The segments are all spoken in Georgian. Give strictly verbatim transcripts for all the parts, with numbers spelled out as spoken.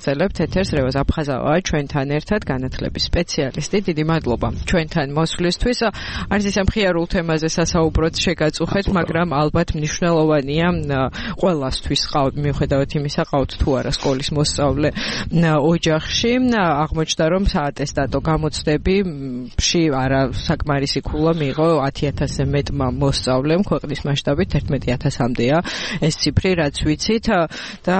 ვაგრძელებთ ეთერს. რევაზ აფხაზავაა ჩვენთან ერთად, განათლების სპეციალისტი. დიდი მადლობა ჩვენთან მოსვლისთვის. არც ისე მხიარულ თემაზე სასაუბროთ შეგაწუხეთ, მაგრამ ალბათ მნიშვნელოვანია ყველასთვის, მიუხედავად იმისა, ყავთ თუ არა სკოლის მოსწავლე ოჯახში. აღმოჩნდა, რომ საატესტატო გამოცდებებში არა საკმარისი ქულა მიიღო ათი ათასზე მეტმა მოსწავლემ, ქვეყნის მასშტაბით ერთმეტი ათასამდეა ეს ციფრი, რაც ვიცით და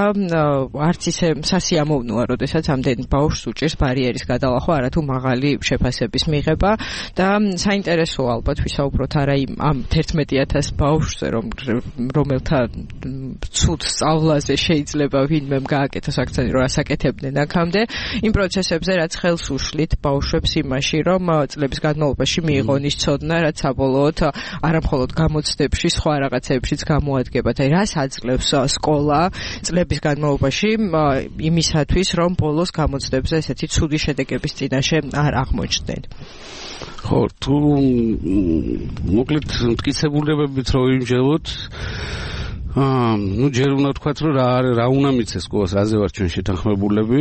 არც ისე სასიამოვნოა, როდესაც ამდენ ბავშვს უჭირს ბარიერის გადალახვა, არათუ მაღალი შეფასების მიღება და საინტერესოა ალბათ ვისაუბროთ არა იმ ამ ერთმეტი ათას ბავშვზე, რომ რომელთა ცუდ სწავლაზე შეიძლება ვინმემ გააკეთოს აქცენტი, რომ ასაკეთებდნენ აქამდე, იმ პროცესებზე, რაც ხელს უშლით ბავშვებს იმაში, რომ წლების განმავლობაში მიიღონ ის ცოდნა, რაც საბოლოოდ არა მხოლოდ გამოცდებში, სხვა რაღაცებშიც გამოადგებათ. აი, რას აძლევს სკოლა წლების განმავლობაში იმისათვის, რომ ბოლოს გამოცდებზე ესეთი ცუდი შედეგების წინაშე არ აღმოჩნდნენ. ხო, თუ მოკლედ მტკიცებულებებით რო ვიმჟელოთ, აა, ну, ჯერ უნდა ვთქვათ, რომ რა რა უნდა მიცეს სკოლას, რაზე ვარ ჩვენ შეთანხმებულები,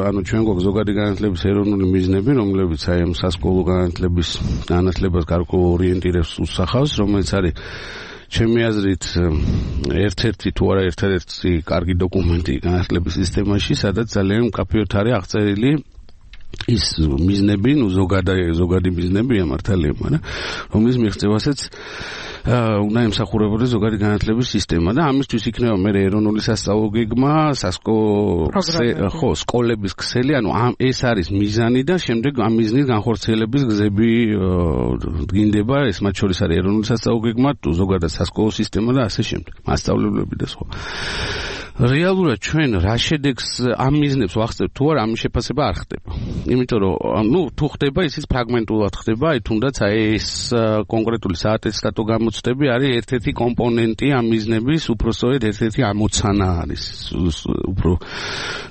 ანუ ჩვენ გვაქვს ზოგადი განათლების ეროვნული მიზნები, რომლებიც აი ამ სასკოლო განათლების განათლებას გარკვეულ ორიენტირებს უსახავს, რომელიც არის ჩემი აზრით ერთ-ერთი თუ არა ერთ-ერთი კარგი დოკუმენტი განათლების სისტემაში, სადაც ძალიან მკაფიოდ არის აღწერილი ის მიზნები, ну, ზოგადი ზოგადი მიზნებია მართალია, მაგრამ რომლის მიღწევასაც უნდა ემსახურებოდეს ზოგადი განათლების სისტემა და ამისთვის იქნება მე ეროვნული სასწავლო გეგმა, ხო, სკოლების ქსელი, ანუ ამ ეს არის მიზანი და შემდეგ ამ მიზნის განხორციელების გზები დგინდება, ეს მათ შორის არის ეროვნული სასწავლო გეგმა, ზოგადად სასკოლო სისტემა და ასე შემდეგ, მასწავლებლები და სხვა. რეალურად ჩვენ რა შედეგს ამ მიზნებს ვახსენებთ თუ არა, ამის შეფასება არ ხდება. იმიტომ რომ, ну, თუ ხდება, ისიც ფრაგმენტულად ხდება, აი თუნდაც აი ეს კონკრეტული საატესტატო გამოცდები არის ერთ-ერთი კომპონენტი ამ მიზნების, უფრო სწორედ ერთ-ერთი ამოცანა არის, უფრო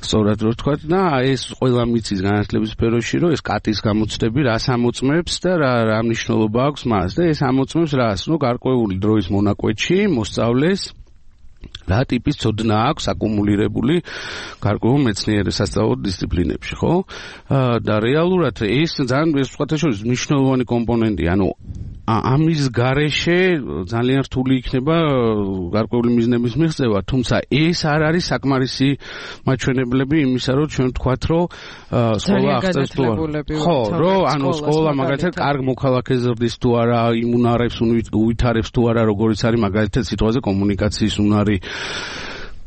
სწორად რო ვთქვათ და ეს ყველა მიცის განათლების სფეროში, რომ ეს კატის გამოცდები რას ამოწმებს და რა რა მნიშვნელობა აქვს მას და ეს ამოწმებს რას, ну, გარკვეული დროის მონაკვეთში მოსწავლეს რა ტიპის ცოდნა აქვს აკუმულირებული გარკვეულ მეცნიერ სასწავლო დისციპლინებში, ხო? და რეალურად ეს ძალიან ეს სხვათა შორის მნიშვნელოვანი კომპონენტია, ანუ ამის გარეშე ძალიან რთული იქნება გარკვეული მიზნების მიღწევა, თუმცა ეს არ არის საკმარისი მაჩვენებლები იმისა, რომ ჩვენ ვთქვათ, რომ სკოლა აღწევს თუ არა. ხო, რომ ანუ სკოლა მაგალითად კარგ მოქალაქეს ზრდის თუ არა, იმუნარებს უვითარებს თუ არა, როგორიც არის მაგალითად სიტყვაზე კომუნიკაციის უნარი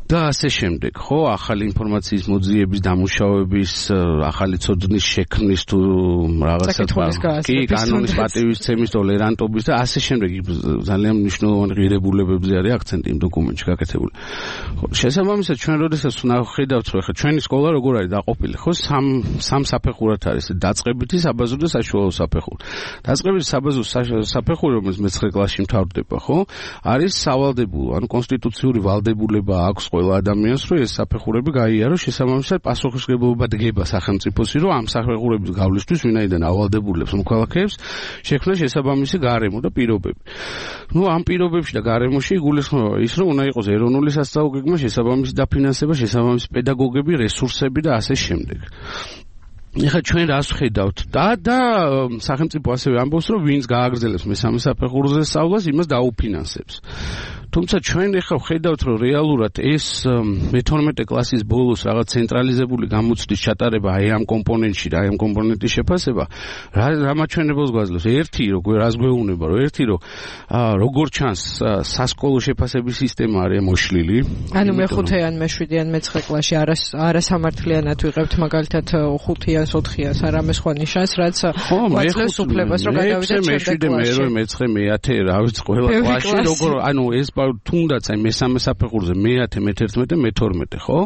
და ასე შემდეგ, ხო, ახალი ინფორმაციის მოძიების, დამუშავების, ახალი ცოდნის შექმნის თუ რაღაცა კი, კანონის პატივისცემის, ტოლერანტობის და ასე შემდეგ ძალიან მნიშვნელოვანი ღირებულებებზე არის აქცენტი იმ დოკუმენტში გაკეთებული. ხო, შესაბამისად ჩვენ როდესაც ვნახავთ, რომ ხა ჩვენი სკოლა როგორ არის დაყოფილი, ხო, სამ სამ საფეხურად არის, დაწყებითი, საბაზრო და საშუალო საფეხური. დაწყებითი საბაზრო საფეხური, რომელიც მეცხრე კლასში მთავრდება, ხო, არის სავალდებულო, ანუ კონსტიტუციური ვალდებულება აქვს ყველა ადამიანს, რომ ეს საფეხურები გაიაროს, შესაბამისად პასუხისმგებლობა დგება სახელმწიფოსი, რომ ამ საფეხურების გავლისთვის ვინაიდან ავალდებულებს მოქალაქეებს, შექმნა შესაბამისი გარემო და პირობები. ნუ ამ პირობებში და გარემოში იგულისხმება ის, რომ უნდა იყოს ეროვნული სასწავლო გეგმა, შესაბამისი დაფინანსება, შესაბამისი პედაგოგები, რესურსები და ასე შემდეგ. ეხლა ჩვენ რას ვხედავთ და და სახელმწიფო ასევე ამბობს, რომ ვინც გააგრძელებს მესამე საფეხურზე სწავლას, იმას დაუფინანსებს. თუმცა ჩვენ ახლა ვხედავთ, რომ რეალურად ეს მეთორმეტე კლასის ბოლოს რაღაც ცენტრალიზებული გამოცდის ჩატარება აი ამ კომპონენტში და აი ამ კომპონენტის შეფასება რა რა მაჩვენებელს გვაძლევს. ერთი, როგორ რას გვეუბნება, რომ ერთი, რომ როგორ ჩანს სასკოლო შეფასების სისტემა არის მოშლილი. ანუ მეხუთე ან მეშვიდე ან მეცხრე კლასში არასამართლიანად ვიღებთ მაგალითად ხუთიანს, ოთხიანს, არამე სხვა ნიშანს, რაც გვაძლევს უფლებას, რომ გადავიდეთ მეშვიდე, მერვე, მეცხრე, მეათე, რა ვიცი, ყველა კლასში როგორ, ანუ ეს თუნდაც აი მესამე საფეხურზე მეათე, მეთერთმეტე, მეთორმეტე, ხო?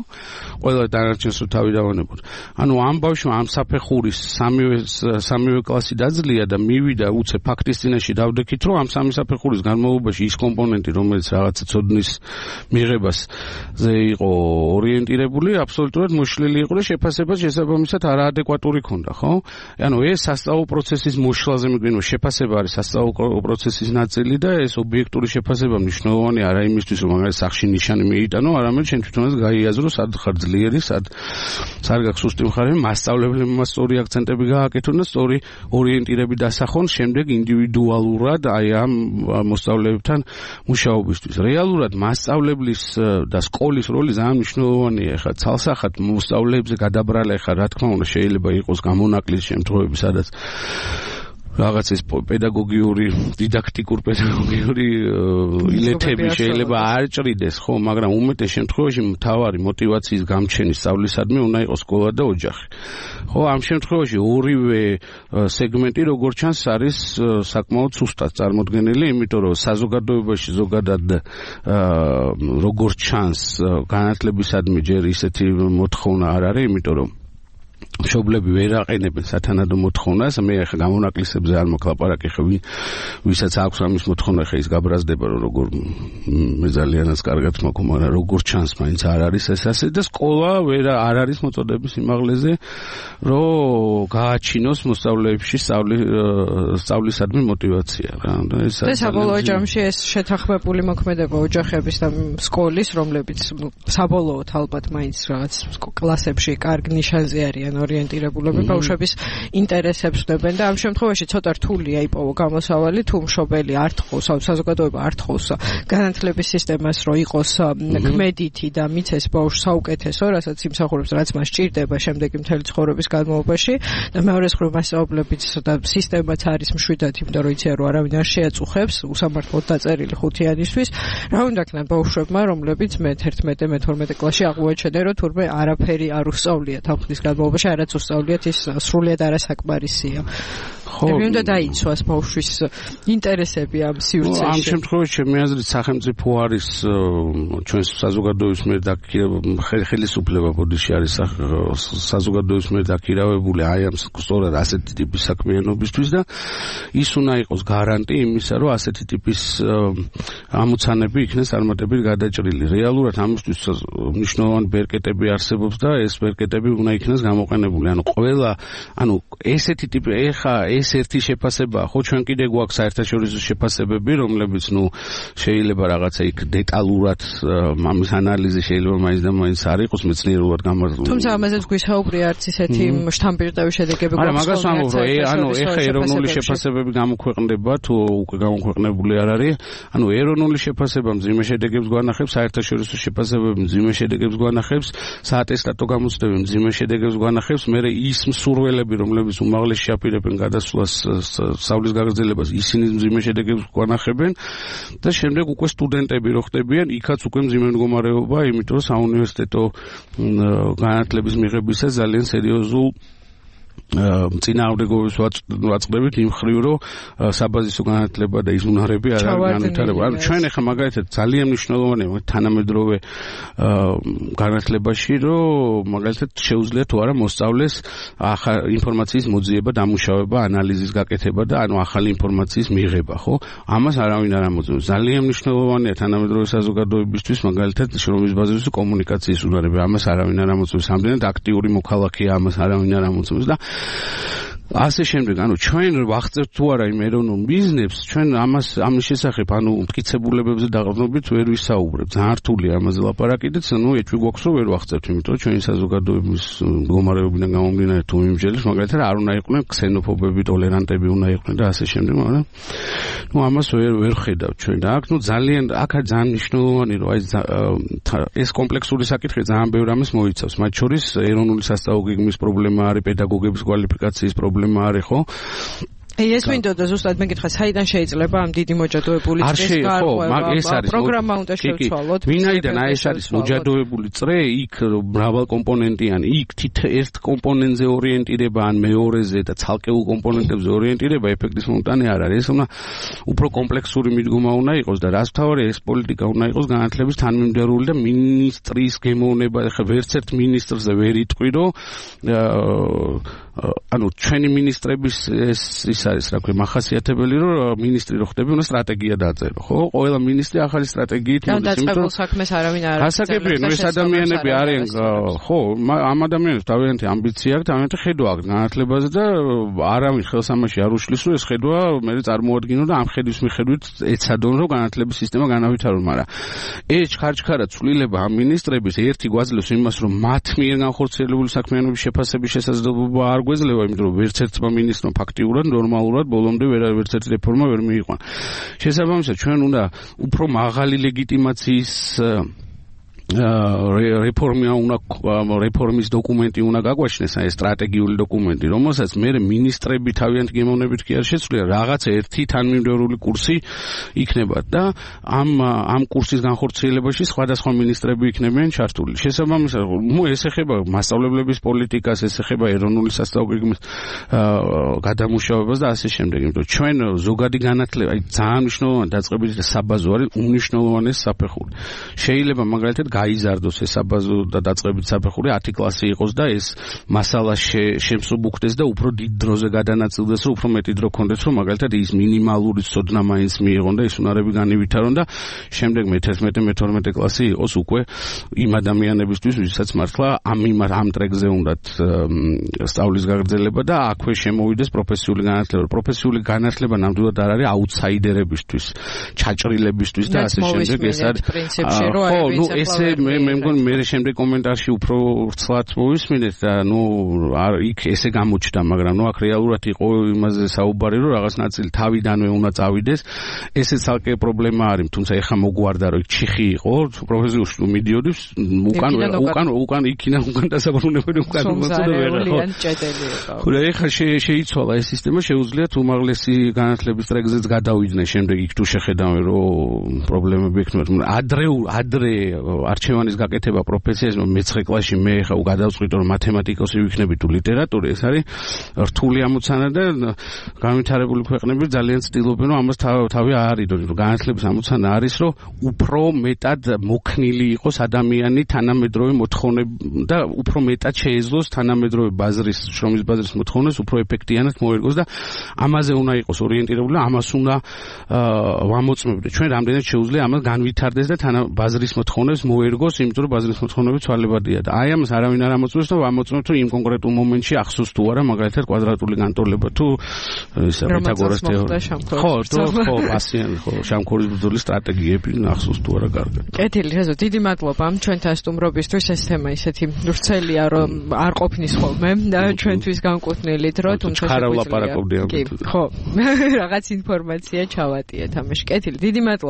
ყველა დანარჩენს რო თავი დავანებოთ. ანუ ამ ბავშვმა ამ საფეხურის სამივე სამივე კლასი დაძლია და მივიდა უცე ფაქტის წინაშე დავდექით, რომ ამ სამი საფეხურის განმავლობაში ის კომპონენტი, რომელიც რაღაცა ცოდნის მიღებაზე იყო ორიენტირებული, აბსოლუტურად მოშლილი იყო და შეფასება შესაბამისად არაადეკვატური ქონდა, ხო? ანუ ეს სასწავლო პროცესის მოშლაზე მიგვინო შეფასება არის სასწავლო პროცესის ნაწილი და ეს ობიექტური შეფასება მნიშვნელოვანია მნიშვნელოვანი არა იმისთვის, რომ მაგას სახში ნიშანი მიიტანო, არამედ შენ თვითონაც გაიაზრო, სად ხარ ძლიერი, სად სად გაქვს სუსტი მხარე, მასწავლებლებმა სწორი აქცენტები გააკეთონ და სწორი ორიენტირები დასახონ, შემდეგ ინდივიდუალურად აი ამ მოსწავლეებთან მუშაობისთვის. რეალურად მასწავლებლის და სკოლის როლი ძალიან მნიშვნელოვანია. ეხლა ცალსახად მოსწავლეებზე გადაბრალა, ეხლა რა თქმა უნდა შეიძლება იყოს გამონაკლის შემთხვევები, სადაც რაღაც ეს პედაგოგიური, დიდაქტიკურ პედაგოგიური ილეთები შეიძლება არ ჭრიდეს, ხო, მაგრამ უმეტეს შემთხვევაში მთავარი მოტივაციის გამჩენის სწავლისადმი უნდა იყოს სკოლა და ოჯახი. ხო, ამ შემთხვევაში ორივე სეგმენტი როგორც ჩანს არის საკმაოდ სუსტად წარმოდგენილი, იმიტომ რომ საზოგადოებაში ზოგადად როგორც ჩანს განათლებისადმი ჯერ ისეთი მოთხოვნა არ არის, იმიტომ რომ მშობლები ვერ აყენებენ სათანადო მოთხოვნას. მე ახლა გამონაკლისებზე არ მოკლაპარაკე, ხა ვისაც აქვს ამის მოთხოვნა, ხა ის გაბრაზდება, რომ როგორ მე ძალიანაც კარგად მაქვს, მაგრამ როგორ ჩანს მაინც არ არის ეს ასე და სკოლა ვერ არ არის მოწოდების იმაღლეზე, რომ გააჩინოს მოსწავლეებში სწავლის სწავლისადმი მოტივაცია რა. და საბოლოო ჯამში ეს შეთანხმებული მოქმედება ოჯახების და სკოლის, რომლებიც საბოლოოდ ალბათ მაინც რაღაც კლასებში კარგ ნიშანზე არიან ორიენტირებულები, ბავშვების ინტერესებს ვდებენ და ამ შემთხვევაში ცოტა რთულია იპოვო გამოსავალი, თუ მშობელი არ თხოვს, საზოგადოება არ თხოვს განათლების სისტემას, რომ იყოს ქმედითი და მიცეს ბავშვს საუკეთესო, რასაც იმსახურებს, რაც მას სჭირდება შემდეგი მთელი ცხოვრების განმავლობაში და მეორეს მხრივ მასწავლებიც და სისტემაც არის მშვიდად, იმიტომ რომ იციან, რომ არავინ არ შეაწუხებს უსამართლოდ დაწერილი ხუთიანისთვის. რა უნდა ქნან ბავშვებმა, რომლებიც მე-თერთმეტე მე-თორმეტე კლასში აღმოაჩენენ, რომ თურმე არაფერი არ უსწავლიათ ამ ხნის განმავლობაში, არაც უსწავლიათ, ის სრულიად არასაკმარისია. ხო, მე უნდა დაიცვას ბავშვის ინტერესები ამ სივრცეში. ამ შემთხვევაში ჩემი აზრით სახელმწიფო არის ჩვენს საზოგადოების მიერ ხელისუფლება ბოდიში არის საზოგადოების მიერ დაქირავებული აი ამ სწორად ასეთი ტიპის საქმიანობისთვის და ის უნდა იყოს გარანტი იმისა, რომ ასეთი ტიპის ამოცანები იქნეს წარმატებით გადაჭრილი. რეალურად ამისთვის მნიშვნელოვანი ბერკეტები არსებობს და ეს ბერკეტები უნდა იქნეს გამოყენებული. ანუ ყველა, ანუ ესეთი ტიპი ეხა ეს ერთი შეფასებაა, ხო, ჩვენ კიდე გვაქვს საერთაშორისო შეფასებები, რომლებიც ნუ შეიძლება რაღაცა იქ დეტალურად ამის ანალიზი შეიძლება მაინც და მაინც არ იყოს მეცნიერულად გამართული. თუმცა ამაზეც გვისაუბრია არც ისეთი შთამბირდავი შედეგები გვაქვს. არა, მაგას ვამბობ, ანუ ეხა ეროვნული შეფასებები გამოქვეყნდება თუ უკვე გამოქვეყნებული არ არის. ანუ ეროვნული შეფასება მძიმე შედეგებს გვანახებს, საერთაშორისო შეფასებები მძიმე შედეგებს გვანახებს, საატესტატო გამოცდები მძიმე შედეგებს გვანახებს, მე ის მსურველები, რომლებიც უმაღლესი აპირებენ გადასვლას სწავლის გაგრძელებას, ისინი მძიმე შედეგებს გვანახებენ და შემდეგ უკვე სტუდენტები რო ხდებიან, იქაც უკვე მძიმე მდგომარეობა, იმიტომ რომ საუნივერსიტეტო განათლების მიღებისას ძალიან სერიოზულ წინააღმდეგობებს ვაწყდებით იმ ხრივ, რომ საბაზისო განათლება და ის უნარები არ არის განვითარება. ანუ ჩვენ ახლა მაგალითად ძალიან მნიშვნელოვანია თანამედროვე განათლებაში, რომ მაგალითად შეუძლია თუ არა მოსწავლეს ინფორმაციის მოძიება, დამუშავება, ანალიზის გაკეთება და ანუ ახალი ინფორმაციის მიღება, ხო? ამას არავინ არ ამოწმებს. ძალიან მნიშვნელოვანია თანამედროვე საზოგადოებისთვის მაგალითად შრომის ბაზისზე კომუნიკაციის უნარები. ამას არავინ არ ამოწმებს. ამდენად აქტიური მოქალაქეა, ამას არავინ არ ამოწმებს და ასე შემდეგ, ანუ ჩვენ ვახცევთ თუ არა იმ ეროვნულ ბიზნესს, ჩვენ ამას ამის შესახებ, ანუ მტკიცებულებებზე დაყრდნობით ვერ ვისაუბრებთ. ძალიან რთულია ამაზე ლაპარაკი და ნუ ეჭვი გვაქვს, რომ ვერ ვახცევთ, იმიტომ რომ ჩვენი საზოგადოების მდგომარეობიდან გამომდინარე თუ იმჯერებს, მაგალითად არ უნდა იყვნენ ქსენოფობები, ტოლერანტები უნდა იყვნენ და ასე შემდეგ, მაგრამ ნუ ამას ვერ ვერ ხედავთ ჩვენ და აქ ნუ ძალიან აქ ძალიან მნიშვნელოვანი რომ აი ეს კომპლექსური საკითხი ძალიან ბევრ ამას მოიცავს, მათ შორის ეროვნული სასწავლო გეგმის პრობლემა არის, პედაგოგების კვალიფიკაციის პრობლემა არის, ხო? ეს მინდოდა ზუსტად მეკითხა, საიდან შეიძლება ამ დიდი მოჯადოებული წრეს გარკვევა პროგრამა უნდა შევცვალოთ. ვინაიდან აი ეს არის მოჯადოებული წრე, იქ მრავალკომპონენტიანი, იქ თითო ერთ კომპონენტზე ორიენტირება ან მეორეზე და ცალკეულ კომპონენტებზე ორიენტირება ეფექტის მომტანი არ არის. ეს უნდა უფრო კომპლექსური მიდგომა უნდა იყოს და რაც თავარი ეს პოლიტიკა უნდა იყოს განათლების თანმიმდევრული და მინისტრის გემოვნება, ხა ვერც ერთ მინისტრზე ვერ იტყვი, რომ ანუ ჩვენი მინისტრების ეს ის არის რა ქვია მახასიათებელი რომ მინისტრი რო ხდები უნდა სტრატეგია დაწერო ხო ყველა მინისტრი ახალი სტრატეგიით მოდის იმიტომ რომ საქმეს არავინ არ ასაკებია ეს ადამიანები არიან ხო ამ ადამიანებს თავიანთი ამბიცია აქვს თავიანთი ხედვა აქვს განათლებაზე და არავინ ხელს ამაში არ უშლის რომ ეს ხედვა მე წარმოადგინო და ამ ხედვის მიხედვით ეცადონ რომ განათლების სისტემა განავითარონ მაგრამ ეს ჩქარჩქარა ცვლილება ამ მინისტრების ერთი გვაძლევს იმას რომ მათ მიერ განხორციელებული საქმიანობის შეფასების შესაძლებლობა არ გვეძლევა იმიტომ რომ ვერც ერთმა მინისტრმა ფაქტიურად ნორმალურად ბოლომდე ვერც ერთი რეფორმა ვერ მიიყვანა შესაბამისად ჩვენ უნდა უფრო მაღალი ლეგიტიმაციის რეფორმია უნდა რეფორმის დოკუმენტი უნდა გაგვაჩნდეს აი სტრატეგიული დოკუმენტი რომელსაც მე მინისტრები თავიანთი გემოვნებით კი არ შეცვლიან რაღაცა ერთი თანმიმდევრული კურსი იქნება და ამ ამ კურსის განხორციელებაში სხვადასხვა მინისტრები იქნებიან ჩართული შესაბამისად ნუ ეს ეხება მასწავლებლების პოლიტიკას ეს ეხება ეროვნული სასწავლებლების გადამუშავებას და ასე შემდეგ იმიტომ ჩვენ ზოგადი განათლება აი ძალიან მნიშვნელოვანი დაწყებითი და საბაზო არის უნიშნულოვანეს საფეხური შეიძლება მაგალითად გაიზარდოს ეს საბაზო და დაწყებითი საფეხური ათი კლასი იყოს და ეს მასალა შემსუბუქდეს და უფრო დიდ დროზე გადანაწილდეს რომ უფრო მეტი დრო ქონდეს რომ მაგალითად ის მინიმალური ცოდნა მაინც მიიღონ და ის უნარები განივითარონ და შემდეგ მეთერთმეტე მეთორმეტე კლასი იყოს უკვე იმ ადამიანებისთვის ვისაც მართლა ამ ამ ტრეკზე უნდათ სწავლის გაგრძელება და აქვე შემოვიდეს პროფესიული განათლება პროფესიული განათლება ნამდვილად არ არის აუთსაიდერებისთვის ჩაჭრილებისთვის და ასე შემდეგ ეს არის პრინციპში რომ არის მე მე მგონი მე შემდეგ კომენტარში უფრო ვრცლად მოვისმინეთ და ნუ არ იქ ესე გამოჩნდა მაგრამ ნუ აქ რეალურად იყო იმაზე საუბარი რომ რაღაც ნაწილი თავიდანვე უნდა წავიდეს ესე ცალკე პრობლემა არის თუმცა ეხა მოგვარდა რომ ჩიხი იყო პროფესიულში თუ მიდიოდი უკან უკან უკან იქიდან უკან დასაბრუნებელი უკან მოწოდა ვეღარ ხო და ეხა შეიცვალა ეს სისტემა შეუძლიათ უმაღლესი განათლების ტრეკზეც გადავიდნენ შემდეგ იქ თუ შეხედავენ რომ პრობლემები ექნებათ ადრე ადრე არჩევანის გაკეთება პროფესიაზე მეცხრე კლასში მე ხა გადავწყვიტე რომ მათემატიკოსი ვიქნები თუ ლიტერატორი ეს არის რთული ამოცანა და განვითარებული ქვეყნები ძალიან ცდილობენ რომ ამას თავი აარიდონ რომ განათლების ამოცანა არის რომ უფრო მეტად მოქნილი იყოს ადამიანი თანამედროვე მოთხოვნები და უფრო მეტად შეეძლოს თანამედროვე ბაზრის შრომის ბაზრის მოთხოვნებს უფრო ეფექტიანად მოერგოს და ამაზე უნდა იყოს ორიენტირებული ამას უნდა ვამოწმებდე ჩვენ რამდენად შეუძლია ამას განვითარდეს და თანაბაზრის მოთხოვნებს მოერგოს იმიტომ რომ ბაზრის მოთხოვნები ცვალებადია და აი ამას არავინ არ ამოწმებს და ვამოწმებთ რომ იმ კონკრეტულ მომენტში ახსოვს თუ არა მაგალითად კვადრატული განტოლება თუ ისა პითაგორას თეორია ხო ხო ასიანი ხო შამქორის ბრძოლის სტრატეგიები ახსოვს თუ არა კარგად კეთილი რეზო დიდი მადლობა ჩვენთან სტუმრობისთვის ეს თემა ისეთი ვრცელია რომ არ ყოფნის ხოლმე და ჩვენთვის განკუთვნილი დრო თუმცა შეგვიძლია ხო რაღაც ინფორმაცია ჩავატიეთ ამაში კეთილი დიდი მადლობა